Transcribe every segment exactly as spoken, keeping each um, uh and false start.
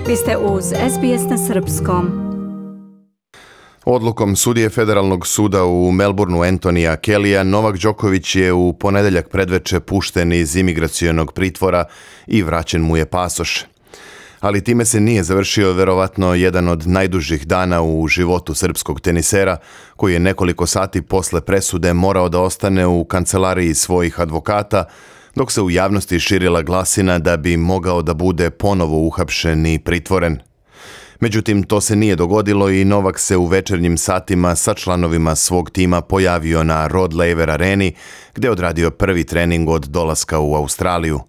Vi ste uz S B S na srpskom. Odlukom sudije Federalnog suda u Melbourneu Antonija Kellya, Novak Đoković je u ponedeljak predveče pušten iz imigracionog pritvora i vraćen mu je pasoš. Ali time se nije završio verovatno jedan od najdužih dana u životu srpskog tenisera, koji je nekoliko sati posle presude morao da ostane u kancelariji svojih advokata, dok se u javnosti širila glasina da bi mogao da bude ponovo uhapšen i pritvoren. Međutim, to se nije dogodilo i Novak se u večernjim satima sa članovima svog tima pojavio na Rod Laver areni, gde je odradio prvi trening od dolaska u Australiju.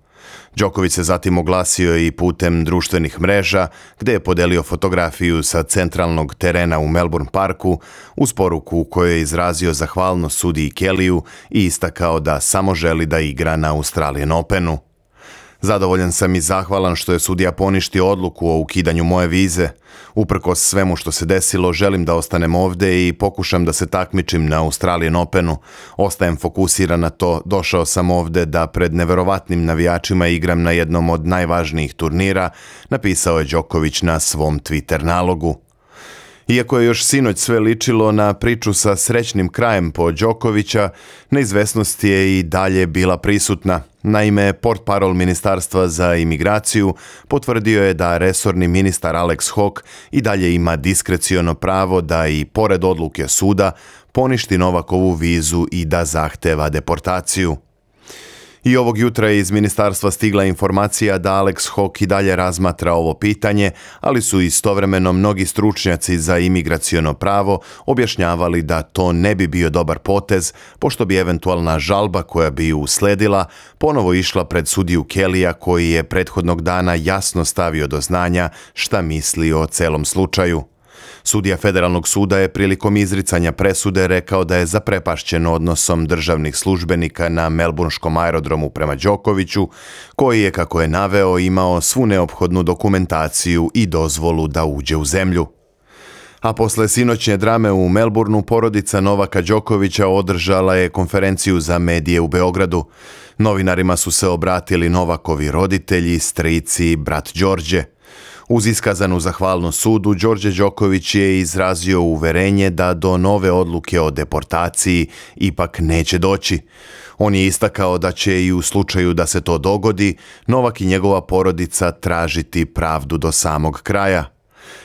Đoković se zatim oglasio i putem društvenih mreža, gde je podelio fotografiju sa centralnog terena u Melbourne Parku uz poruku u kojoj je izrazio zahvalnost sudiji Kellyu i istakao da samo želi da igra na Australian Openu. Zadovoljan sam i zahvalan što je sudija poništio odluku o ukidanju moje vize. Uprkos svemu što se desilo, želim da ostanem ovde i pokušam da se takmičim na Australian Openu. Ostajem fokusiran na to, došao sam ovde da pred neverovatnim navijačima igram na jednom od najvažnijih turnira, napisao je Đoković na svom Twitter nalogu. Iako je još sinoć sve ličilo na priču sa srećnim krajem po Đokovića, neizvesnost je i dalje bila prisutna. Naime, portparol Ministarstva za imigraciju potvrdio je da resorni ministar Alex Hawke i dalje ima diskreciono pravo da i pored odluke suda poništi Novakovu vizu i da zahteva deportaciju. I ovog jutra je iz ministarstva stigla informacija da Alex Hawke i dalje razmatra ovo pitanje, ali su istovremeno mnogi stručnjaci za imigraciono pravo objašnjavali da to ne bi bio dobar potez, pošto bi eventualna žalba koja bi ju usledila ponovo išla pred sudiju Kellya, koji je prethodnog dana jasno stavio do znanja šta misli o celom slučaju. Sudija Federalnog suda je prilikom izricanja presude rekao da je zaprepašćen odnosom državnih službenika na melburnskom aerodromu prema Đokoviću, koji je, kako je naveo, imao svu neophodnu dokumentaciju i dozvolu da uđe u zemlju. A posle sinoćnje drame u Melbourneu, porodica Novaka Đokovića održala je konferenciju za medije u Beogradu. Novinarima su se obratili Novakovi roditelji, strici i brat Đorđe. Uz iskazanu zahvalnost sudu, Đorđe Đoković je izrazio uverenje da do nove odluke o deportaciji ipak neće doći. On je istakao da će i u slučaju da se to dogodi, Novak i njegova porodica tražiti pravdu do samog kraja.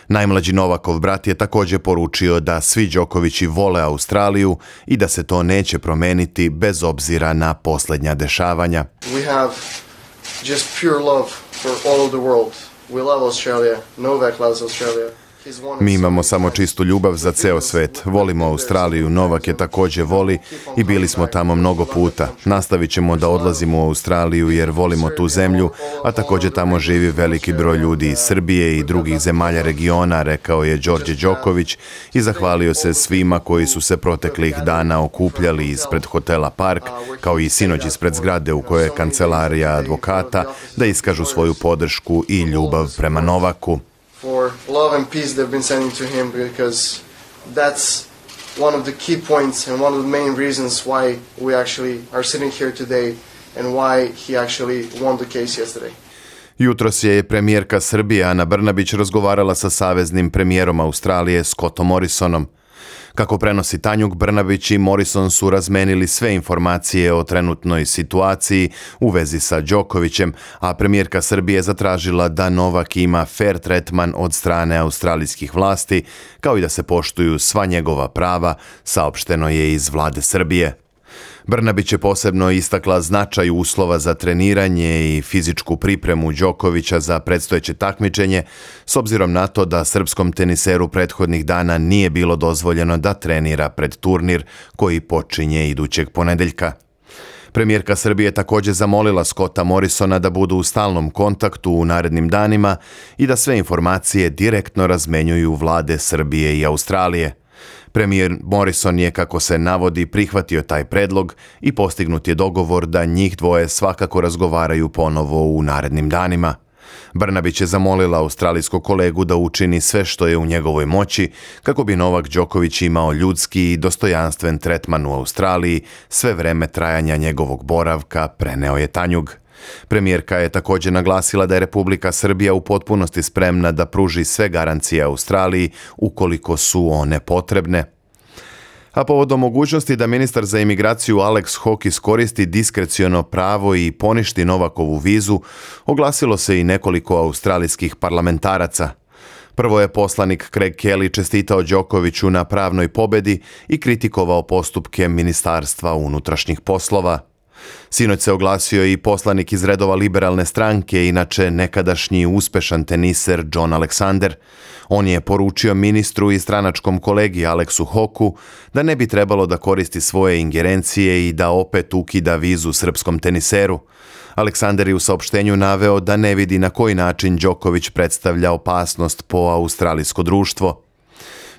Najmlađi Novakov brat je također poručio da svi Đokovići vole Australiju i da se to neće promeniti bez obzira na posljednja dešavanja. We have just pure love for all of the world. We love Australia. Novak loves Australia. Mi imamo samo čistu ljubav za ceo svet. Volimo Australiju, Novak je također voli i bili smo tamo mnogo puta. Nastavit ćemo da odlazimo u Australiju jer volimo tu zemlju, a također tamo živi veliki broj ljudi iz Srbije i drugih zemalja regiona, rekao je Đorđe Đoković i zahvalio se svima koji su se proteklih dana okupljali ispred hotela Park, kao i sinoć ispred zgrade u kojoj je kancelarija advokata, da iskažu svoju podršku i ljubav prema Novaku. For love and peace they've been sending to him, because that's one of the key points and one of the main reasons why we actually are sitting here today and why he actually won the case yesterday. Jutros je premijerka Srbije Ana Brnabić razgovarala sa saveznim premijerom Australije Scottom Morrisonom. Kako prenosi Tanjug, Brnabić i Morrison su razmenili sve informacije o trenutnoj situaciji u vezi sa Đokovićem, a premijerka Srbije zatražila da Novak ima fair tretman od strane australijskih vlasti, kao i da se poštuju sva njegova prava, saopšteno je iz vlade Srbije. Brnabić je posebno istakla značaj uslova za treniranje i fizičku pripremu Đokovića za predstojeće takmičenje, s obzirom na to da srpskom teniseru prethodnih dana nije bilo dozvoljeno da trenira pred turnir koji počinje idućeg ponedeljka. Premijerka Srbije također zamolila Scotta Morrisona da budu u stalnom kontaktu u narednim danima i da sve informacije direktno razmenjuju vlade Srbije i Australije. Premijer Morrison je, kako se navodi, prihvatio taj predlog i postignut je dogovor da njih dvoje svakako razgovaraju ponovo u narednim danima. Brnabić je zamolila australijskog kolegu da učini sve što je u njegovoj moći kako bi Novak Đoković imao ljudski i dostojanstven tretman u Australiji sve vreme trajanja njegovog boravka, preneo je Tanjug. Premijerka je također naglasila da je Republika Srbija u potpunosti spremna da pruži sve garancije Australiji ukoliko su one potrebne. A povodom mogućnosti da ministar za imigraciju Alex Hawke iskoristi diskreciono pravo i poništi Novakovu vizu, oglasilo se i nekoliko australijskih parlamentaraca. Prvo je poslanik Craig Kelly čestitao Đokoviću na pravnoj pobedi i kritikovao postupke Ministarstva unutrašnjih poslova. Sinoć se oglasio i poslanik iz redova liberalne stranke, inače nekadašnji uspešan teniser John Alexander. On je poručio ministru i stranačkom kolegi Alexu Hawkeu da ne bi trebalo da koristi svoje ingerencije i da opet ukida vizu srpskom teniseru. Aleksander je u saopštenju naveo da ne vidi na koji način Đoković predstavlja opasnost po australijsko društvo.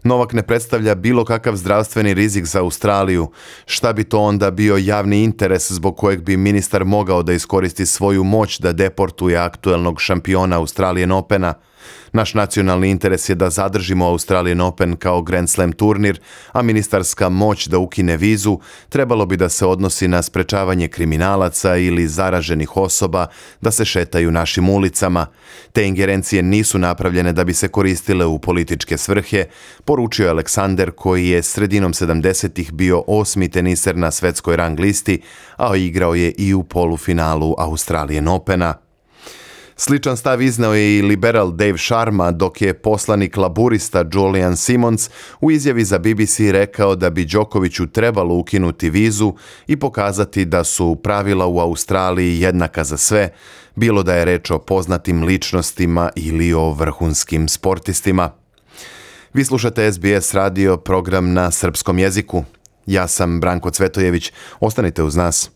Novak ne predstavlja bilo kakav zdravstveni rizik za Australiju. Šta bi to onda bio javni interes zbog kojeg bi ministar mogao da iskoristi svoju moć da deportuje aktuelnog šampiona Australian Opena? Naš nacionalni interes je da zadržimo Australian Open kao Grand Slam turnir, a ministarska moć da ukine vizu trebalo bi da se odnosi na sprečavanje kriminalaca ili zaraženih osoba da se šetaju našim ulicama. Te ingerencije nisu napravljene da bi se koristile u političke svrhe, poručio je Aleksander, koji je sredinom sedamdesetih bio osmi teniser na svetskoj rang listi, a igrao je i u polufinalu Australian Opena. Sličan stav izneo je i liberal Dave Sharma, dok je poslanik laburista Julian Simons u izjavi za B B C rekao da bi Đokoviću trebalo ukinuti vizu i pokazati da su pravila u Australiji jednaka za sve, bilo da je reč o poznatim ličnostima ili o vrhunskim sportistima. Vi slušate S B S radio, program na srpskom jeziku. Ja sam Branko Cvetojević. Ostanite uz nas.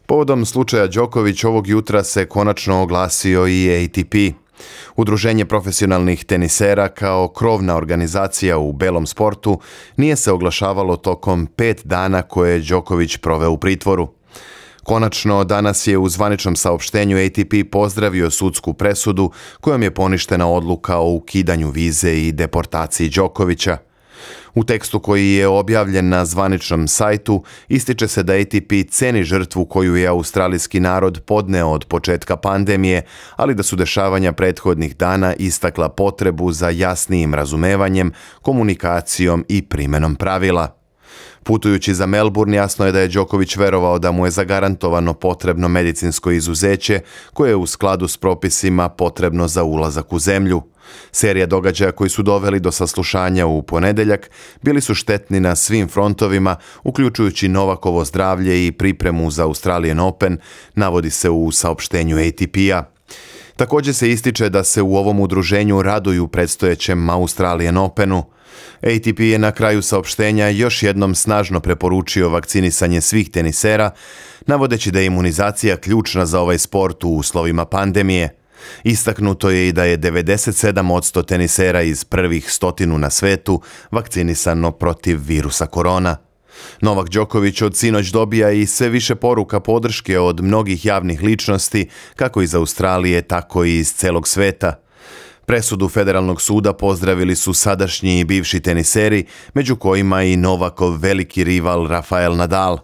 Povodom slučaja Đoković ovog jutra se konačno oglasio i A T P. Udruženje profesionalnih tenisera kao krovna organizacija u belom sportu nije se oglašavalo tokom pet dana koje je Đoković proveo u pritvoru. Konačno, danas je u zvaničnom saopštenju A T P pozdravio sudsku presudu kojom je poništena odluka o ukidanju vize i deportaciji Đokovića. U tekstu koji je objavljen na zvaničnom sajtu ističe se da A T P ceni žrtvu koju je australijski narod podneo od početka pandemije, ali da su dešavanja prethodnih dana istakla potrebu za jasnijim razumevanjem, komunikacijom i primenom pravila. Putujući za Melbourne, jasno je da je Đoković verovao da mu je zagarantovano potrebno medicinsko izuzeće koje je u skladu s propisima potrebno za ulazak u zemlju. Serija događaja koji su doveli do saslušanja u ponedeljak bili su štetni na svim frontovima, uključujući Novakovo zdravlje i pripremu za Australian Open, navodi se u saopštenju A T P-a. Također se ističe da se u ovom udruženju raduju predstojećem Australian Openu. A T P je na kraju saopštenja još jednom snažno preporučio vakcinisanje svih tenisera, navodeći da je imunizacija ključna za ovaj sport u uslovima pandemije. Istaknuto je i da je devedeset sedam posto tenisera iz prvih stotinu na svetu vakcinisano protiv virusa korona. Novak Đoković od sinoć dobija i sve više poruka podrške od mnogih javnih ličnosti, kako iz Australije, tako i iz celog sveta. Presudu Federalnog suda pozdravili su sadašnji i bivši teniseri, među kojima i Novakov veliki rival Rafael Nadal.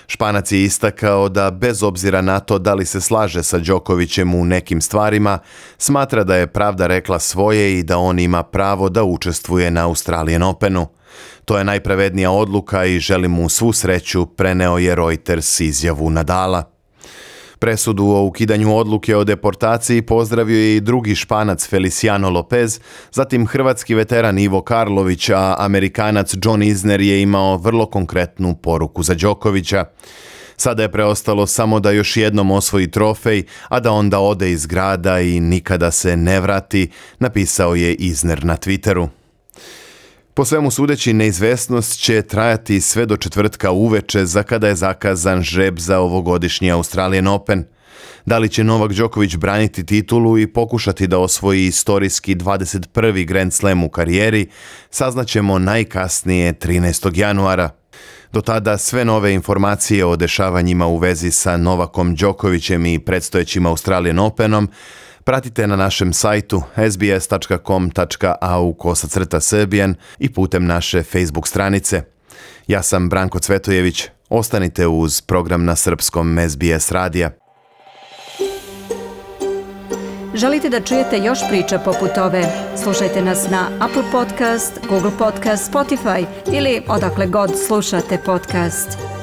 Španac je istakao da bez obzira na to da li se slaže sa Đokovićem u nekim stvarima, smatra da je pravda rekla svoje i da on ima pravo da učestvuje na Australian Openu. To je najpravednija odluka i želim mu svu sreću, preneo je Reuters izjavu Nadala. Presudu o ukidanju odluke o deportaciji pozdravio je i drugi Španac Feliciano Lopez, zatim hrvatski veteran Ivo Karlović, a Amerikanac John Isner je imao vrlo konkretnu poruku za Đokovića. Sada je preostalo samo da još jednom osvoji trofej, a da onda ode iz grada i nikada se ne vrati, napisao je Isner na Twitteru. Po svemu sudeći, neizvesnost će trajati sve do četvrtka uveče, za kada je zakazan žreb za ovogodišnji Australian Open. Da li će Novak Đoković braniti titulu i pokušati da osvoji istorijski dvadeset prvi Grand Slam u karijeri, saznaćemo najkasnije trinaestog januara. Do tada sve nove informacije o dešavanjima u vezi sa Novakom Đokovićem i predstojećim Australian Openom pratite na našem sajtu s b s tačka com tačka a u kosacrta srbijan i putem naše Facebook stranice. Ja sam Branko Cvetojević. Ostanite uz program na srpskom S B S radija. Želite da čujete još priča poput ove? Slušajte nas na Apple Podcast, Google Podcast, Spotify ili odakle god slušate podcast.